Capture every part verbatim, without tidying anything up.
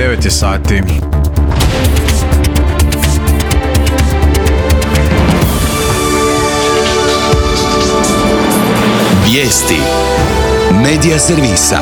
devet je sati. Vijesti Medija servisa.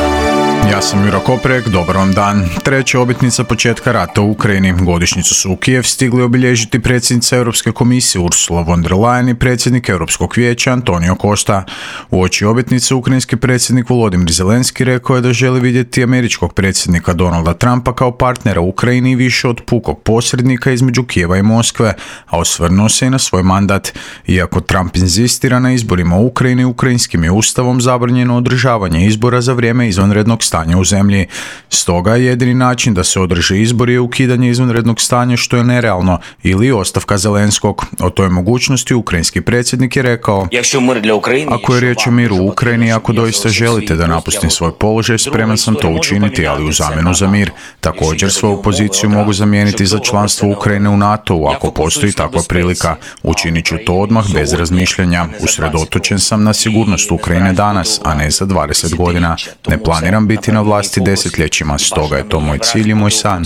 Ja sam Juro Koprek, dobar vam dan. Treća obljetnica početka rata u Ukrajini. Godišnjicu su u Kijev stigli obilježiti predsjednica Europske komisije Ursula von der Leyen i predsjednik Europskog vijeća Antonio Costa. Uoči obljetnice ukrajinski predsjednik Volodymyr Zelenski rekao je da želi vidjeti američkog predsjednika Donalda Trumpa kao partnera Ukrajini više od pukog posrednika između Kijeva i Moskve, a osvrnuo se i na svoj mandat. Iako Trump inzistira na izborima u Ukrajini, ukrajinskim je ustavom zabranjeno održavanje izbora za vrijeme izvanrednog stanja u zemlji. Stoga jedini način da se održe izbori je ukidanje izvanrednog stanja, što je nerealno, ili ostavka Zelenskog. O toj mogućnosti ukrajinski predsjednik je rekao: ako je riječ o miru u Ukrajini, ako doista želite da napustim svoj položaj, spreman sam to učiniti, ali u zamjenu za mir. Također svoju poziciju mogu zamijeniti za članstvo Ukrajine u NATO-u ako postoji takva prilika. Učinit ću to odmah bez razmišljanja. Usredotočen sam na sigurnost Ukrajine danas, a ne za dvadeset godina. Ne planiram biti na vlasti desetljećima, stoga je to moj cilj i moj san.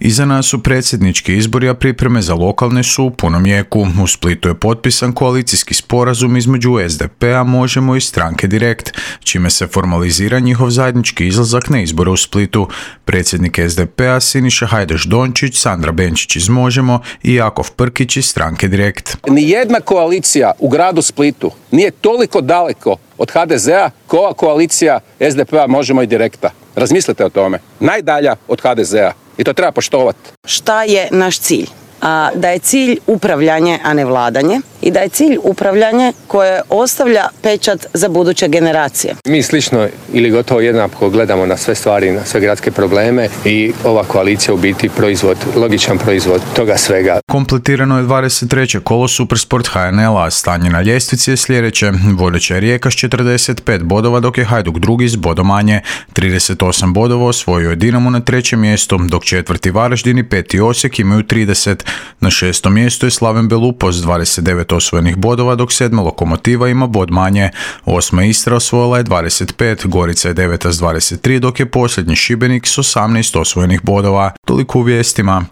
Iza nas su predsjednički izbori, a pripreme za lokalne su u punom jeku. U Splitu je potpisan koalicijski sporazum između es de pe a, Možemo i stranke Direkt, čime se formalizira njihov zajednički izlazak na izbore u Splitu. Predsjednik es de pe a Siniša Hajdaš-Dončić, Sandra Benčić iz Možemo i Jakov Prkić iz stranke Direkt. Nijedna koalicija u gradu Splitu nije toliko daleko od ha de ze a ko koalicija es de pe a, Možemo i Direkta. Razmislite o tome. Najdalja od ha de ze a. I to treba poštovati. Šta je naš cilj? A, da je cilj upravljanje, a ne vladanje, i da je cilj upravljanje koje ostavlja pečat za buduće generacije. Mi slično ili gotovo jednako gledamo na sve stvari, na sve gradske probleme i ova koalicija u biti proizvod, logičan proizvod toga svega. Kompletirano je dvadeset treće kolo Supersport ha en el a, stanje na ljestvici je sljedeće. Vodeća je Rijeka s četrdeset pet bodova, dok je Hajduk drugi s bodom manje. trideset osam bodova osvojio je Dinamo na trećem mjestu, dok četvrti Varaždin i peti Osijek imaju trideset. Na šestom mjestu je Slaven Belupo s dvadeset devet osvojenih bodova, dok sedma Lokomotiva ima bod manje. Osma Istra osvojila je dvadeset pet, Gorica je deveta s dvadeset tri, dok je posljednji Šibenik s osamnaest osvojenih bodova. Toliko u vijestima.